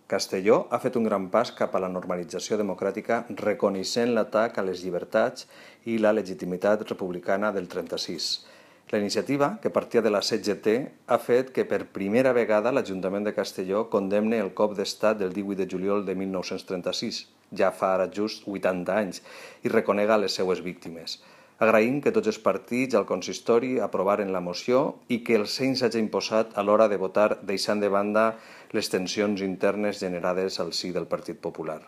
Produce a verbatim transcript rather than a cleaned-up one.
Castelló ha fet un gran pas cap a la normalització democràtica reconeixent l'atac a les llibertats i la legitimitat republicana del trenta-sis. La iniciativa, que partia de la C G T, ha fet que per primera vegada l'Ajuntament de Castelló condemne el cop d'estat del díhuit de juliol de mil nou-cents trenta-sis, ja fa ara just vuitanta anys, i reconega les seues víctimes. Agraïm que tots els partits al consistori aprovaren la moció i que el seny s'hagi imposat a l'hora de votar deixant de banda les tensions internes generades al si del Partit Popular.